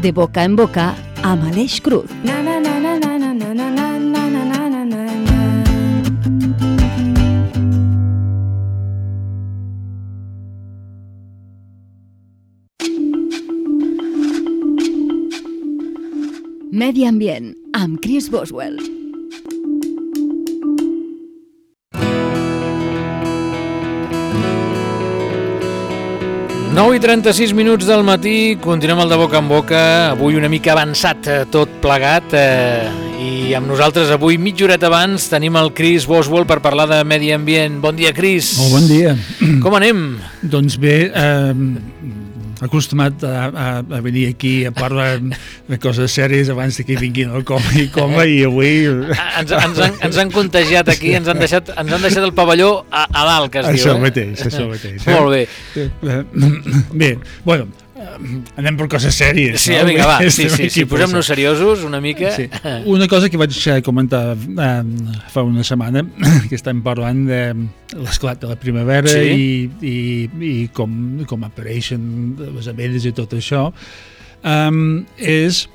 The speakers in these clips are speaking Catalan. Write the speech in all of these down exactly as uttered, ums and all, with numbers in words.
De boca en boca amb Aleix Cruz. Medi ambient amb Chris Boswell. nou i trenta-sis minuts del matí, continuem el de boca en boca, avui una mica avançat tot plegat, eh, i amb nosaltres avui mitja horeta abans tenim el Chris Boswell per parlar de medi ambient. Bon dia, Chris. Molt bon dia. Com anem? Doncs bé, eh, acostumat a, a, a venir aquí a parlar de coses sèries abans que vinguin el coma i coma, i avui... Ens, ens, han, ens han contagiat aquí, ens han deixat, ens han deixat el pavelló a, a dalt, que es això diu. Mateix, eh? això mateix. Eh? Molt bé. Bé, bueno, anem per coses sèries. Sí, no? vinga, va, sí, sí, sí, posem-nos seriosos una mica. Sí. Una cosa que vaig comentar eh, fa una setmana, que estem parlant de l'esclat de la primavera, sí. i, i, i com, com apareixen les abelles i tot això, um, és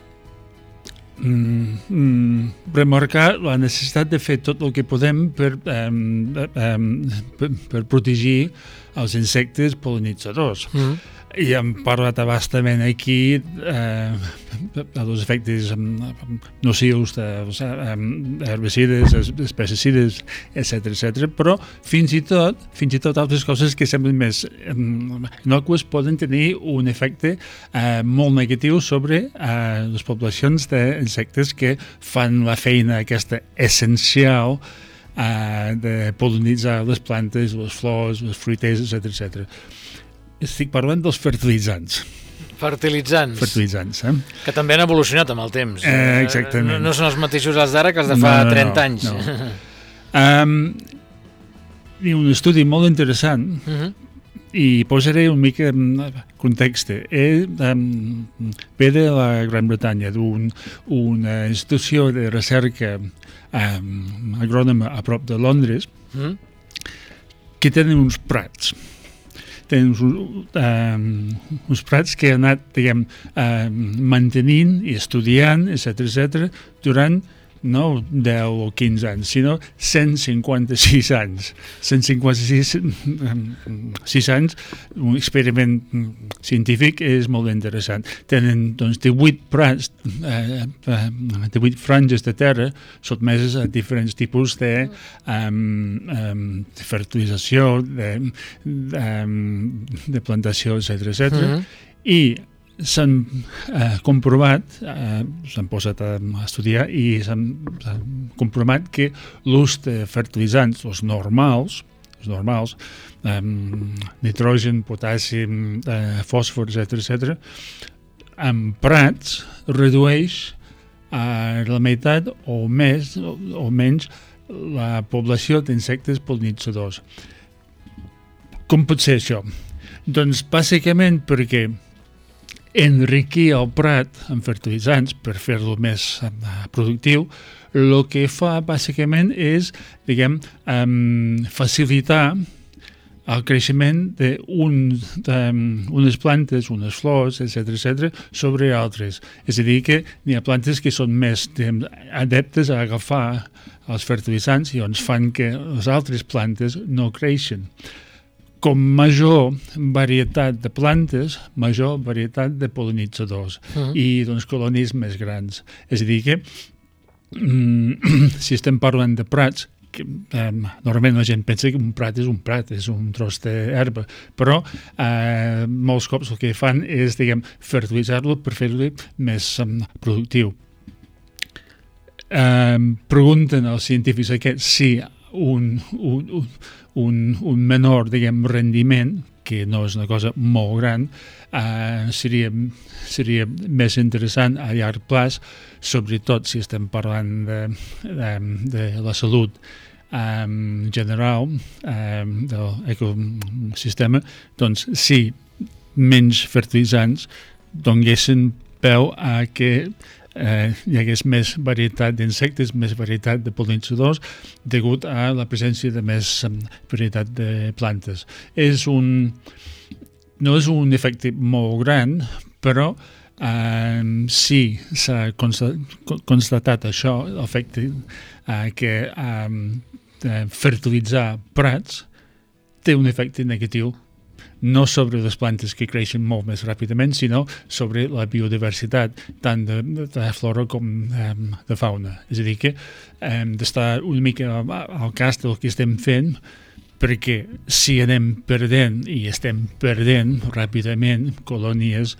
mm, remarcar la necessitat de fer tot el que podem per, um, um, per, per protegir els insectes pol·linitzadors. Mm. I hem parlat abastament aquí eh, dels efectes nocius d'herbicides, pesticides, etcètera, etcètera, però fins i tot, fins i tot altres coses que semblen més innocues poden tenir un efecte eh, molt negatiu sobre eh, les poblacions d'insectes que fan la feina aquesta essencial eh, de pol·linitzar les plantes, les flors, les fruiters, etcètera, etcètera. Estic parlant dels fertilitzants. Fertilitzants. Fertilitzants, eh? Que també han evolucionat amb el temps. Eh, exactament. No, no són els mateixos els d'ara que els de fa no, no, trenta anys. No. um, I un estudi molt interessant, uh-huh. i posaré un mica en context. Eh, um, ve de la Gran Bretanya, d'una institució de recerca um, agrònoma a prop de Londres, uh-huh. que tenen uns prats. Tenen uns, um, uns prats que han anat, diguem, uh, mantenint i estudiant, etcètera, etcètera, durant no deu o quinze anys, sinó cent cinquanta-sis anys. cent cinquanta-sis sis anys, un experiment científic és molt interessant. Tenen, doncs, divuit prats, eh, divuit franges de terra sotmeses a diferents tipus de, um, um, de fertilització, de, de, de plantació, etcètera, etcètera, mm-hmm. i s'han eh, comprovat, eh, s'han posat a estudiar i s'han comprovat que l'ús de fertilitzants, els normals, els normals, eh, nitrogen, potassi, eh, fòsfor, etcètera, etcètera, en prats redueix a la meitat o més o, o menys la població d'insectes pol·linitzadors. Com pot ser això? Doncs bàsicament perquè enriquir el prat amb fertilitzants per fer-lo més uh, productiu, el que fa bàsicament és, diguem, um, facilitar el creixement d'unes plantes, unes flors, etcètera, etcètera, sobre altres. És a dir, que hi ha plantes que són més, diguem, adeptes a agafar els fertilitzants i doncs fan que les altres plantes no creixen. Com major varietat de plantes, major varietat de pol·linitzadors uh-huh. i doncs colònies més grans. És a dir que mm, si estem parlant de prats, que, eh, normalment la gent pensa que un prat és un prat, és un tros d'herba, però eh, molts cops el que fan és, diguem, fertilitzar-lo per fer-lo més um, productiu. Eh, pregunten als científics aquests si un, un, un Un, un menor, diguem, rendiment, que no és una cosa molt gran, eh, seria, seria més interessant a llarg plaç, sobretot si estem parlant de, de, de la salut eh, general eh, de l'ecosistema, doncs si menys fertilitzants donguessin peu a que eh, hi hagués més varietat d'insectes, més varietat de pol·linitzadors, degut a la presència de més um, varietat de plantes. És un... no és un efecte molt gran, però um, sí s'ha constatat això, l'efecte uh, que um, fertilitzar prats té un efecte negatiu, no sobre les plantes que creixen molt més ràpidament, sinó sobre la biodiversitat, tant de, de flora com um, de fauna. És a dir, que hem d'estar una mica al cas del que estem fent, perquè si anem perdent, i estem perdent ràpidament colònies,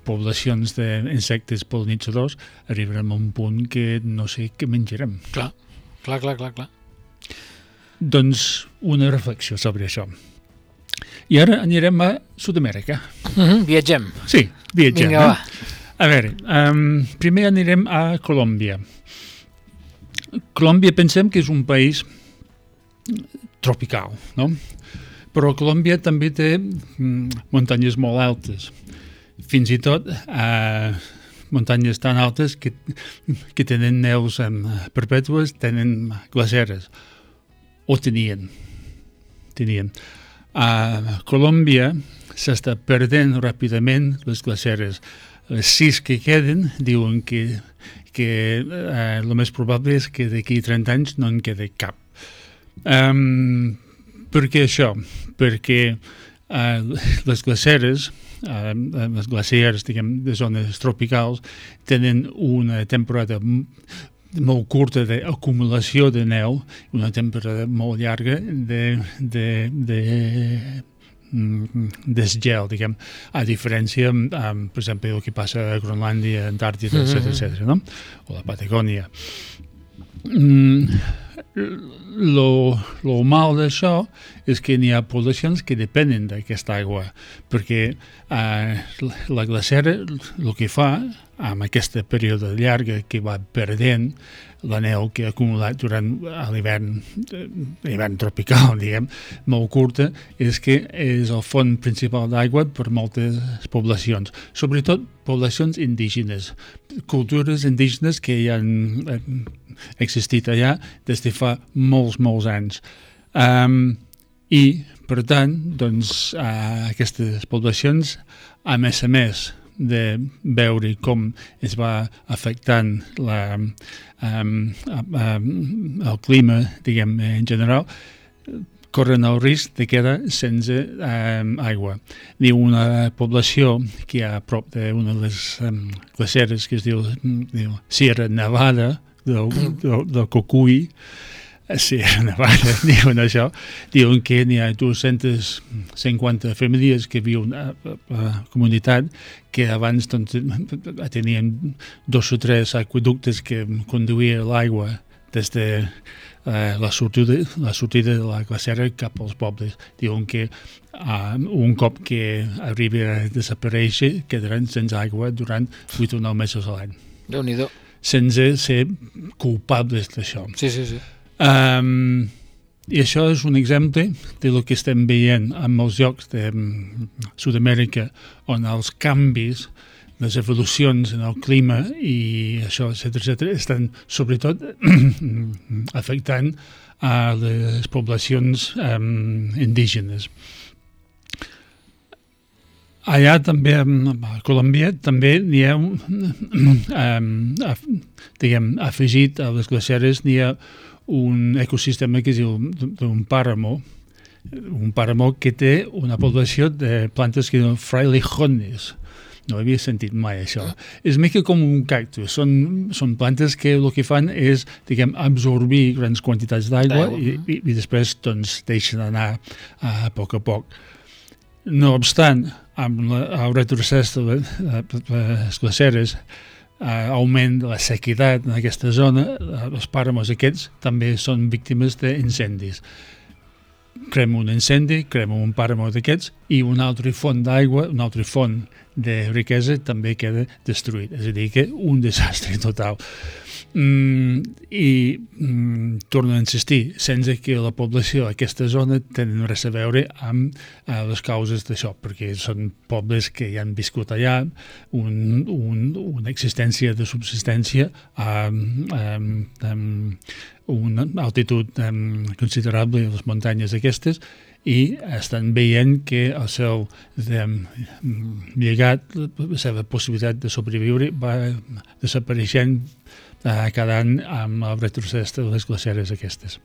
poblacions d'insectes pol·linitzadors, arribarem a un punt que no sé què menjarem. Clar, clar, clar, clar, clar. Doncs una reflexió sobre això. I ara anirem a Sud-amèrica. Mm-hmm, viatgem. Sí, viatgem. Vinga, eh? va. A veure, um, primer anirem a Colòmbia. Colòmbia pensem que és un país tropical, no? Però Colòmbia també té mm, muntanyes molt altes. Fins i tot eh, muntanyes tan altes que, que tenen neus eh, perpètues, tenen glaceres. O tenien. Tenien. A Colòmbia s'està perdent ràpidament les glaceres. Les sis que queden diuen que, que eh, el més probable és que d'aquí trenta anys no en quedi cap. Um, per què això? Perquè uh, les glaceres, uh, les glaciers, diguem, de zones tropicals, tenen una temporada molt curta d'acumulació de neu, una temporada molt llarga de, de, de desgel, diguem, a diferència, um, per exemple, el que passa a Groenlàndia, Antàrtida, etcètera, mm-hmm. etcètera, no? O la Patagònia. Mm, lo, lo mal d'això és que n'hi ha poblacions que depenen d'aquesta aigua, perquè uh, la glacera el que fa amb aquesta període llarga que va perdent la neu que ha acumulat durant l'hivern, l'hivern tropical, diguem, molt curta, és que és el font principal d'aigua per moltes poblacions, sobretot poblacions indígenes, cultures indígenes que ja han existit allà des de fa molts, molts anys. Um, I, per tant, doncs, uh, aquestes poblacions, a més a més, de veure com es va afectant la, um, um, el clima, diguem, en general, corren el risc de quedar sense um, aigua. Ni una població que hi ha a prop d'una de les um, glaceres que es diu, diu Sierra Nevada, del, del, del Cocuy, Sierra Nevada, diuen això, diuen que n'hi ha dues-centes cinquanta famílies que viuen a la comunitat que abans doncs, tenien dos o tres aqueductes que conduïen l'aigua des de uh, la, sortida, la sortida de la glacera cap als pobles. Diuen que uh, un cop que arribi a desaparèixer quedaran sense aigua durant vuit o nou mesos a l'any. Déu-n'hi-do. Sense ser culpables d'això. Sí, sí, sí. Um, I això és un exemple de lo que estem veient en molts llocs de um, Sud-amèrica, on els canvis, les evolucions en el clima i això, etcètera, etcètera, estan sobretot afectant a les poblacions um, indígenes. Allà també, a Colòmbia, també n'hi ha un, um, af, diguem, afegit a les glaceres, n'hi ha un ecosistema que es diu un pàramo, un pàramo que té una població de plantes que diuen frailejones. No havia sentit mai això. És mica com un cactus. Són, són plantes que el que fan és, diguem, absorbir grans quantitats d'aigua i, i, i després doncs, deixen anar a, a poc a poc. No obstant, amb la, el retrocés de les glaceres, Uh, augment de la sequitat en aquesta zona, uh, els pàramos aquests també són víctimes d'incendis. Crema un incendi, crema un pàramo d'aquests i una altra font d'aigua, una altra font de riquesa també queda destruït. És a dir, que un desastre total. Mm, I mm, torno a insistir, sense que la població d'aquesta zona tenen res a veure amb uh, les causes d'això, perquè són pobles que ja han viscut allà, un, un, una existència de subsistència amb, amb, amb una altitud um, considerable a les muntanyes aquestes i estan veient que el seu de, llegat, la seva possibilitat de sobreviure va desapareixent eh, cada any amb el retrocés de les glaceres aquestes.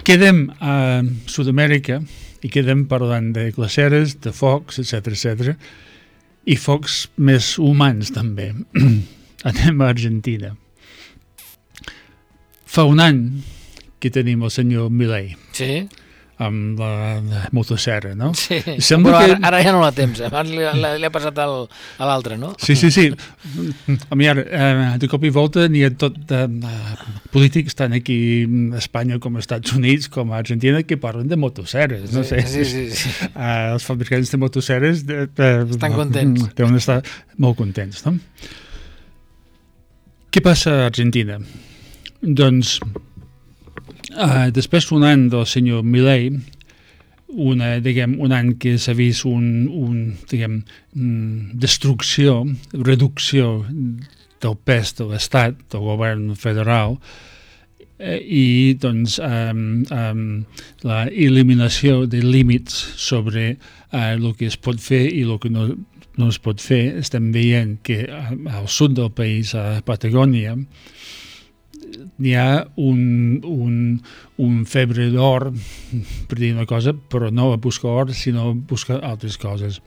Quedem a Sud-amèrica i quedem parlant de glaceres, de focs, etcètera, etcètera, i focs més humans també. Anem a Argentina. Fa un any que tenim el senyor Milei. Sí. Amb la, la motosserra, no? Sí, sembla però que... ara, ara ja no la temps, abans li, li ha passat al, a l'altre, no? Sí, sí, sí. A mi ara, eh, de cop i volta n'hi ha tot de eh, polítics tant aquí a Espanya com als Estats Units com a Argentina que parlen de motosserres, no sí, sé. Sí, sí, sí. Eh, els fabricants de motosserres de, de, estan contents. Deuen estar molt contents, no? Què passa a Argentina? Doncs... Uh, després d'un any del senyor Milei, una, diguem, un any que s'ha vist un, un diguem, destrucció, reducció del pes de l'Estat, del govern federal, eh, i doncs um, um, la eliminació de límits sobre uh, el que es pot fer i el que no, no es pot fer. Estem veient que al sud del país, a Patagònia, n'hi ha un, un, un febre d'or, per dir una cosa, però no a buscar or, sinó a buscar altres coses.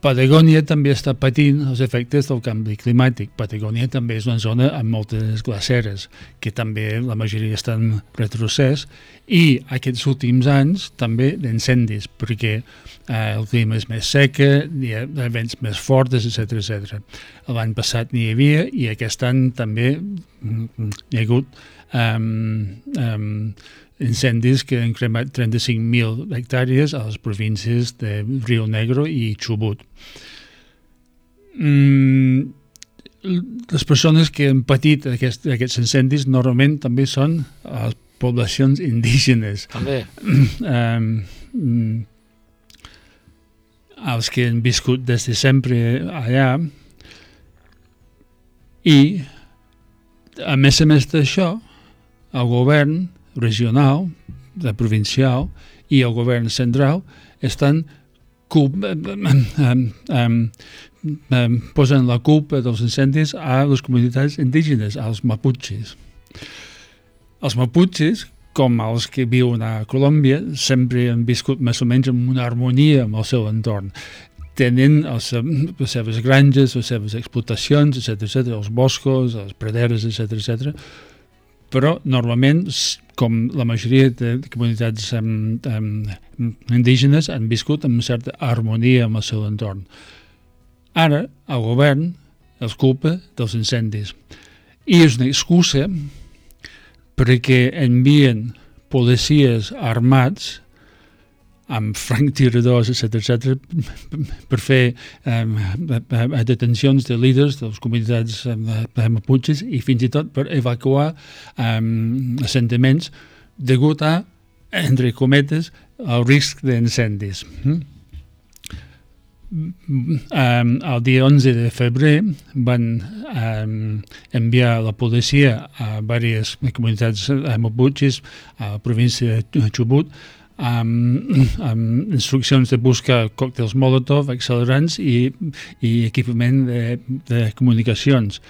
Patagònia també està patint els efectes del canvi climàtic. Patagònia també és una zona amb moltes glaceres, que també la majoria estan retrocés, i aquests últims anys també d'incendis, perquè eh, el clima és més seca, hi ha vents més fortes, etcètera, etcètera. L'any passat n'hi havia i aquest any també hi ha hagut um, um, incendis que han cremat trenta-cinc mil hectàrees a les províncies de Rio Negro i Chubut. Mm, les persones que han patit aquest, aquests incendis normalment també són les poblacions indígenes. També. Um, mm, els que han viscut des de sempre allà, i a més a més d'això, el govern regional, la provincial i el govern central estan culpa, um, um, um, posen la culpa dels incendis a les comunitats indígenes, als maputxes. Els maputxes, com els que viuen a Colòmbia, sempre han viscut més o menys en una harmonia amb el seu entorn. Tenen els, les seves granges, les seves explotacions, etcètera, etcètera, els boscos, les praderes, etcètera, etcètera, però normalment, com la majoria de comunitats um, um, indígenes, han viscut amb una certa harmonia amb el seu entorn. Ara, el govern els culpa dels incendis. I és una excusa perquè envien policies armats amb franctiradors, etcètera, etcètera, per fer um, detencions de líders de les comunitats um, maputxes i fins i tot per evacuar um, assentaments degut a, entre cometes, el risc d'incendis. Mm? Um, el dia onze de febrer van um, enviar la policia a diverses comunitats maputxes a la província de Chubut amb, amb instruccions de buscar còctels Molotov, accelerants i, i equipament de, de comunicacions.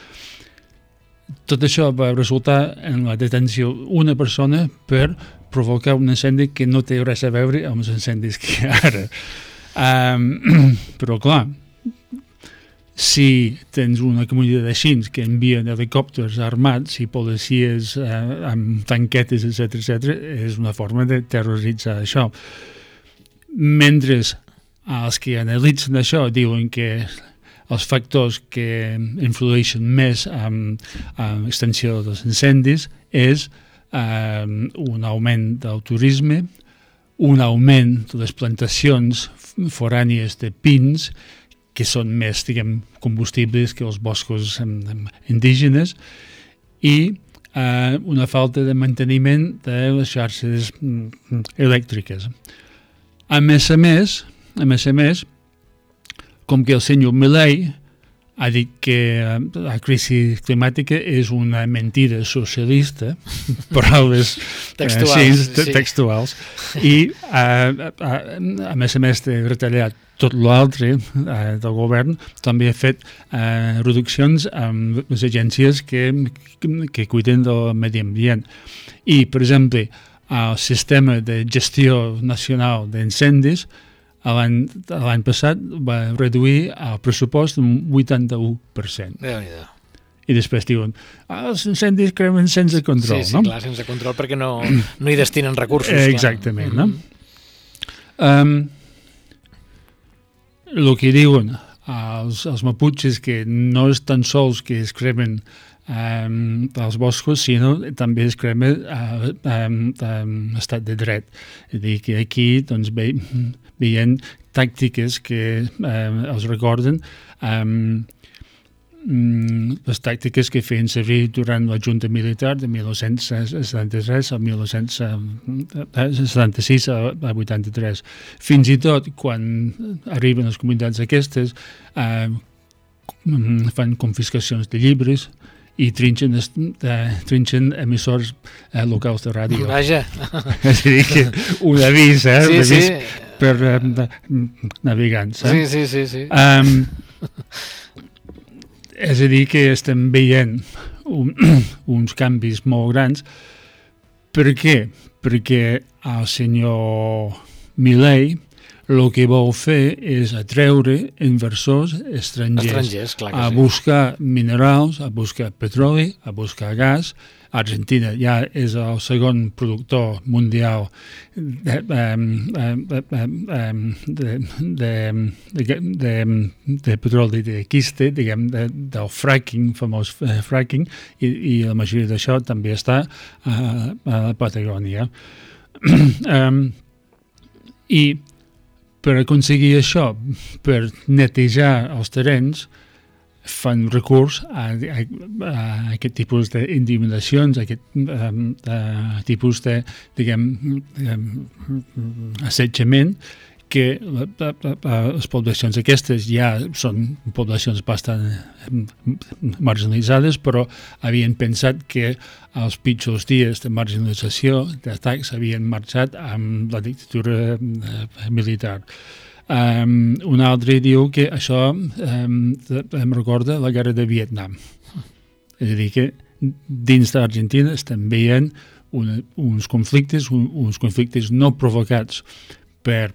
Tot això va resultar en la detenció d'una persona per provocar un incendi que no té res a veure amb els incendis que hi ha ara. Um, però clar, si tens una comunitat així que envien helicòpters armats i policies eh, amb tanquetes, etcètera, etcètera, és una forma de terroritzar això. Mentre els que analitzen això diuen que els factors que influeixen més en, en l'extensió dels incendis és eh, un augment del turisme, un augment de les plantacions forànies de pins, que són més, diguem, combustibles que els boscos indígenes, i eh, una falta de manteniment de les xarxes elèctriques. A més a més, a més a més, com que el senyor Milei ha dit que la crisi climàtica és una mentida socialista, paraules textuals, eh, sí, sí. textuals, i eh, a, a més a més de retallar tot l'altre eh, del govern, també ha fet eh, reduccions amb les agències que, que cuiden del medi ambient. I, per exemple, el sistema de gestió nacional d'incendis l'any passat va reduir el pressupost un vuitanta-u per cent. Déu-n'hi-do. I després diuen, ah, els incendis cremen sense control, sí, sí, no? Sí, clar, sense control, perquè no, no hi destinen recursos. Eh, exactament, clar. no? Um, el que diuen els, els maputxes, que no és tan sols que es cremen um, els boscos, sinó també es crema uh, um, um, estat de dret. És a dir, que aquí doncs, ve, veient tàctiques que eh, els recorden um, les tàctiques que feien servir durant la Junta Militar de mil nou-cents setanta-tres a mil nou-cents setanta-sis a vuitanta-tres. Fins i tot quan arriben les comunitats aquestes eh, fan confiscacions de llibres i trinxen, eh, trinxen emissors eh, locals de ràdio. Vaja. És a dir, que un avís, eh, sí, un avís sí. per eh, navegants. Eh? Sí, sí, sí. sí. Um, és a dir, que estem veient un, uns canvis molt grans. Per què? Perquè el senyor Milei el que vol fer és atreure inversors estrangers, estrangers clar que a sí. buscar minerals, a buscar petroli, a buscar gas. Argentina ja és el segon productor mundial de, de, de, de, de, de, de petroli de quiste, diguem, de, del fracking, famós fracking, i, i la majoria d'això també està a, a la Patagònia. um, I per aconseguir això, per netejar els terrenys, fan recurs a, a, a aquest tipus d'intimidacions, a aquest um, a tipus de, diguem, um, assetjament, que la, la, la, les poblacions aquestes ja són poblacions bastant marginalitzades, però havien pensat que els pitjors dies de marginalització, d'atacs, havien marxat amb la dictadura militar. Um, un altre diu que això um, em recorda la guerra de Vietnam. És a dir, que dins d'Argentina estem veient una, uns conflictes, un, uns conflictes no provocats per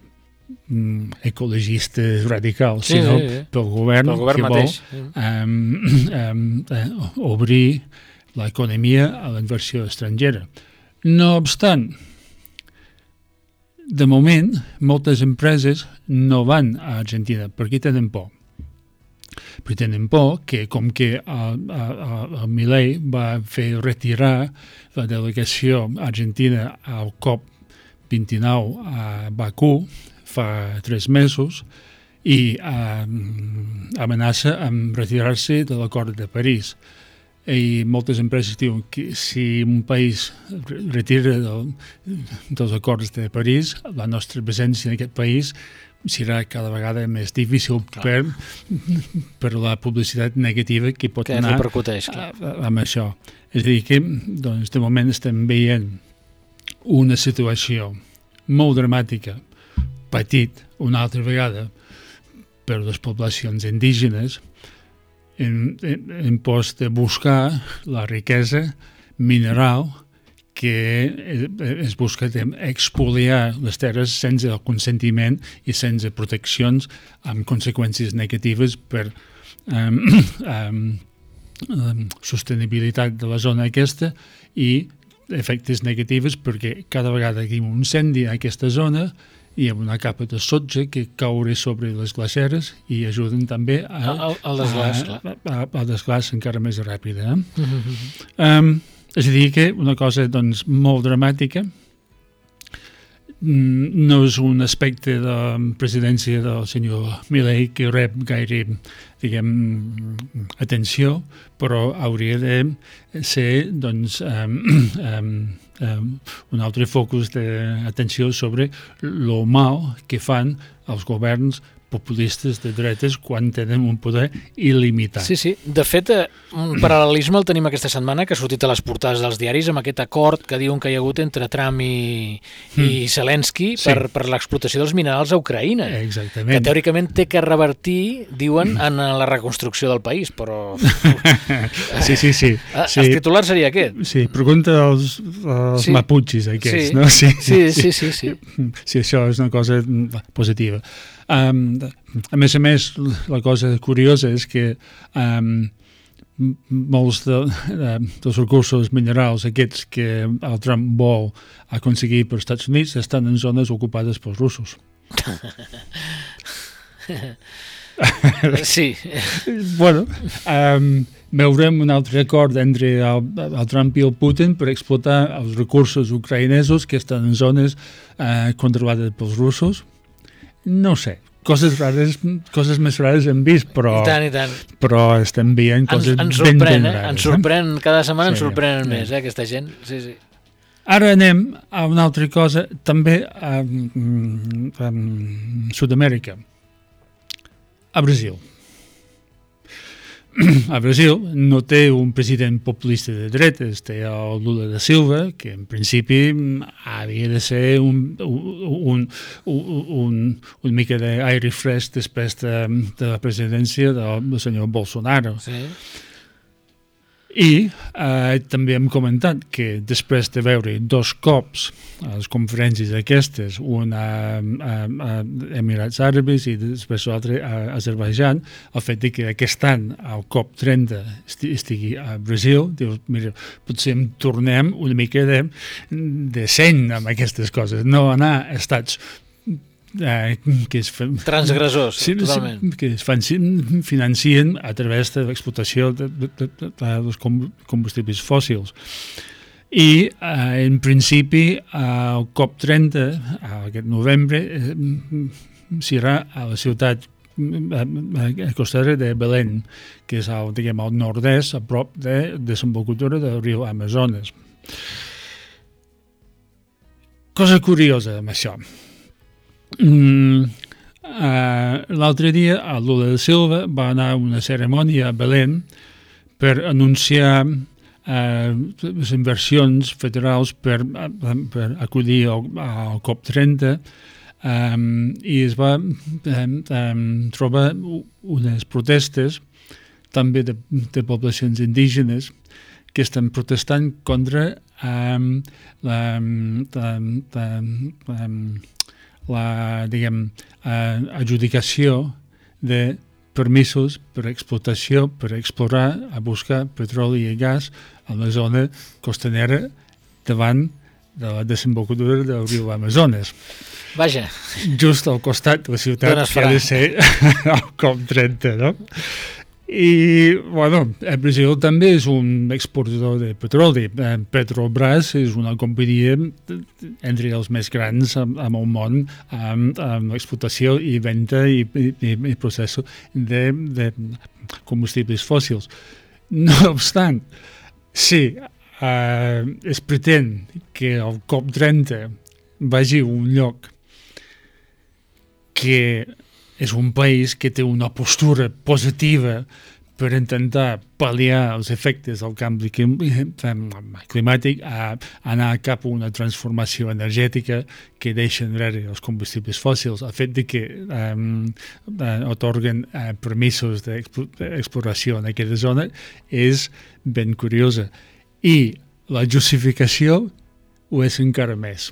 um, ecologistes radicals, sí, sinó sí, sí. pel govern, pel govern que mateix. vol um, um, uh, obrir l'economia a la inversió estrangera. No obstant, de moment, moltes empreses no van a Argentina perquè tenen por. Perquè tenen por que, com que el, el, el Milei va fer retirar la delegació argentina al COP vint-i-nou a Bakú fa tres mesos i eh, amenaça amb retirar-se de l'acord de París. I moltes empreses diuen que si un país retira del, dels acords de París, la nostra presència en aquest país serà cada vegada més difícil per, per la publicitat negativa que pot que anar a, a, amb això. És a dir, que doncs, de moment estem veient una situació molt dramàtica, patit una altra vegada per les poblacions indígenes, en, en, en post de buscar la riquesa mineral que es busca expoliar les terres sense el consentiment i sense proteccions, amb conseqüències negatives per um, um, um, sostenibilitat de la zona aquesta i efectes negatius perquè cada vegada que hi ha un incendi a aquesta zona hi ha una capa de sotge que caure sobre les glaceres i ajuden també a, al, al desglàs, a, a, a desglàs encara més ràpid. Eh? Mm-hmm. um, és a dir que una cosa doncs, molt dramàtica, no és un aspecte de presidència del senyor Milei que rep gaire, diguem, atenció, però hauria de ser doncs, um, um, um, un altre focus d'atenció sobre lo mal que fan els governs populistes de dretes quan tenen un poder il·limitat. Sí, sí. De fet, un paral·lelisme el tenim aquesta setmana, que ha sortit a les portades dels diaris amb aquest acord que diuen que hi ha hagut entre Trump i, mm. i Zelensky per, sí. per l'explotació dels minerals a Ucraïna. Exactament. Que teòricament té que revertir, diuen, en la reconstrucció del país, però... sí, sí, sí. El sí. titular seria aquest. Sí, pregunta als, als sí. maputxis aquests, sí. no? Sí. Sí, sí, sí, sí. Sí, això és una cosa positiva. Um, a més a més, la cosa curiosa és que um, molts de, de, dels recursos minerals aquests que el Trump vol aconseguir per als Estats Units estan en zones ocupades pels russos. Sí. Bueno, um, veurem un altre acord entre el, el Trump i el Putin per explotar els recursos ucraïnesos que estan en zones uh, controlades pels russos. No sé, coses rares, coses més rares hem vist, però, I tant, i tant. però estem veient coses ens, ens ben, sorprèn, ben eh? rares. Ens sorprèn, cada setmana sí, ens sorprenen sí. més, eh, aquesta gent. Sí, sí. Ara anem a una altra cosa, també a, a, a Sud-amèrica, a Brasil. A Brasil no té un president populista de dretes, té el Lula da Silva, que en principi havia de ser un, un, un, un, un mica d'aire fresc després de, de la presidència del, del senyor Bolsonaro. Sí. I eh, també hem comentat que després de veure dos cops a les conferències aquestes, una a, a Emirats Àrabs i després l'altre a Azerbaidjan, el fet de que aquest any el COP trenta estigui a Brasil, dius, mira, potser em tornem una mica de, de seny amb aquestes coses, no anar a estats Eh, que es fan, transgressors, sí, totalment. Que es fan, financien a través de l'explotació de, de, de, de, dels combustibles fòssils. I eh, en principi el COP trenta, aquest novembre, eh, serà a la ciutat costera de Belén, que és al, diguem, al nord-est, a prop de desembocadura del riu Amazones. Cosa curiosa amb això. Mm, uh, l'altre dia el Lula da Silva va anar a una cerimònia a Belén per anunciar uh, les inversions federals per, uh, per acudir al, al COP trenta um, i es va um, um, trobar unes protestes també de, de poblacions indígenes que estan protestant contra um, la, la, la, la la, diguem, eh, adjudicació de permisos per explotació, per explorar, a buscar petroli i gas a la zona costanera davant de la desembocadura del riu Amazones. Vaja. Just al costat de la ciutat que ha de ser el COP trenta, no? I, bueno, el Brasil també és un exportador de petroli. Petrobras és una companyia entre els més grans amb el món amb, amb explotació i venda i, i, i procés de, de combustibles fòssils. No obstant, sí, eh, es pretén que el COP trenta vagi a un lloc que és un país que té una postura positiva per intentar pal·liar els efectes del canvi climàtic, a anar cap a una transformació energètica que deixa enrere els combustibles fòssils. El fet de que um, otorguen uh, permisos d'exploració en aquesta zona és ben curiosa. I la justificació ho és encara més.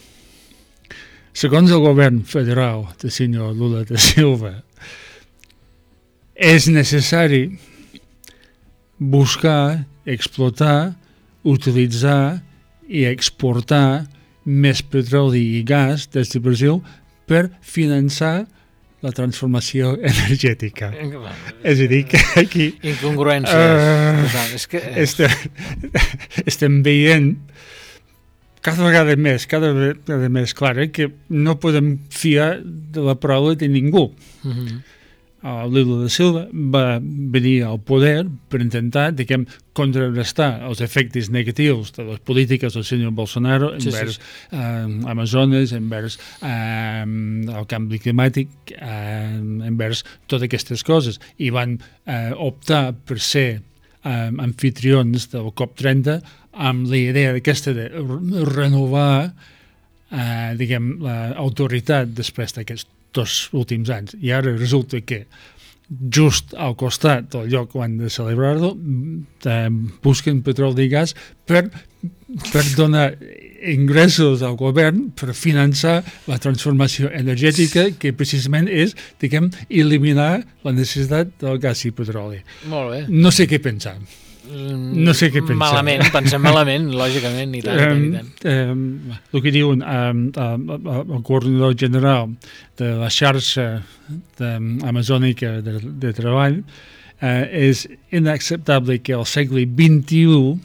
Segons el govern federal del senyor Lula da Silva, és necessari buscar, explotar, utilitzar i exportar més petroli i gas des de Brasil per finançar la transformació energètica. És a dir, que aquí... Incongruències. Uh, és que... estem, estem veient cada vegada més, cada vegada més clara que no podem fiar de la paraula de ningú. Uh-huh. uh, Lula da Silva va venir al poder per intentar, diguem, contrarrestar els efectes negatius de les polítiques del senyor Bolsonaro sí, envers sí, sí. Uh, Amazones, envers uh, el canvi climàtic, uh, envers totes aquestes coses. I van uh, optar per ser uh, anfitrions del COP trenta amb la idea aquesta de renovar Uh, diguem, l'autoritat després d'aquests dos últims anys. I ara resulta que just al costat del lloc on han de celebrar-lo uh, busquen petroli i gas per, per donar ingressos al govern per finançar la transformació energètica que precisament és, diguem, eliminar la necessitat del gas i petroli. Molt bé. No sé què pensar. No sé què pensar. Malament, pensem malament, lògicament, i tant, um, i tant. Um, el que diuen um, uh, uh, el coordinador general de la xarxa amazònica de, de treball uh, és inacceptable que al segle vint-i-u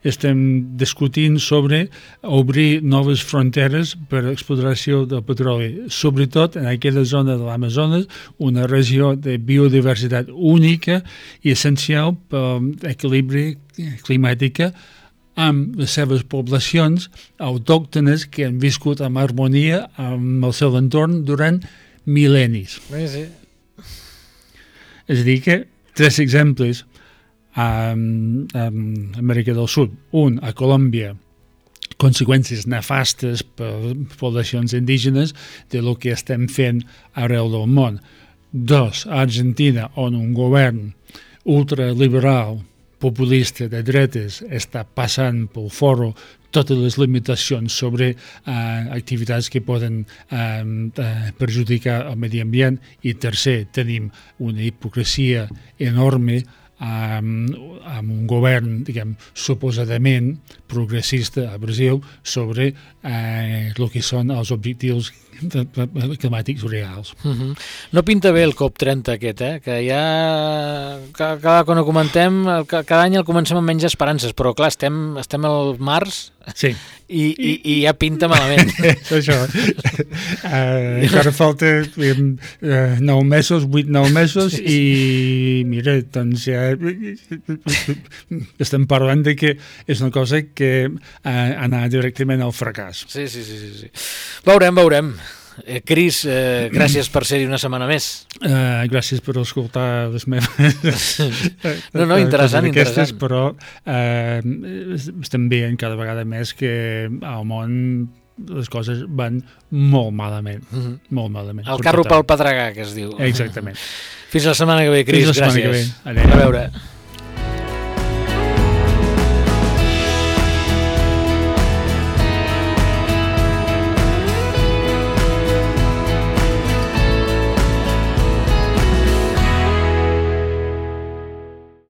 estem discutint sobre obrir noves fronteres per a l'explotació del petroli, sobretot en aquella zona de l'Amazones, una regió de biodiversitat única i essencial per l'equilibri climàtica amb les seves poblacions autòctones que han viscut en harmonia amb el seu entorn durant mil·lennis. Sí, sí. És a dir que, tres exemples a Amèrica del Sud. Un, a Colòmbia, conseqüències nefastes per poblacions indígenes de lo que estem fent arreu del món. Dos, a Argentina, on un govern ultraliberal, populista de dretes, està passant pel foro totes les limitacions sobre uh, activitats que poden uh, uh, perjudicar el medi ambient. I tercer, tenim una hipocresia enorme amb, amb un govern, diguem, suposadament progressista a Brasil sobre eh, el que són els objectius climàtics reals. Uh-huh. No pinta bé el COP trenta aquest, eh? Que ja cada, cada quan ho comentem, cada any el comencem amb menys esperances, però clar, estem, estem al març sí. i, i, i ja pinta malament. Això. Uh, encara falta uh, nou mesos, vuit, nou mesos i mira, doncs ja estem parlant de que és una cosa que uh, anar directament al fracàs. Sí, sí, sí, sí, sí. Veurem, veurem. Eh, Cris, eh, gràcies per ser-hi una setmana més. Uh, gràcies per escoltar les meves no, no, interessant, aquestes, interessant. Però uh, estem veient cada vegada més que al món les coses van molt malament, uh-huh. molt malament. El carro pel pedregar, que es diu. Exactament. Fins la setmana que ve, Cris, gràcies. Fins la setmana que ve. Adéu. A veure.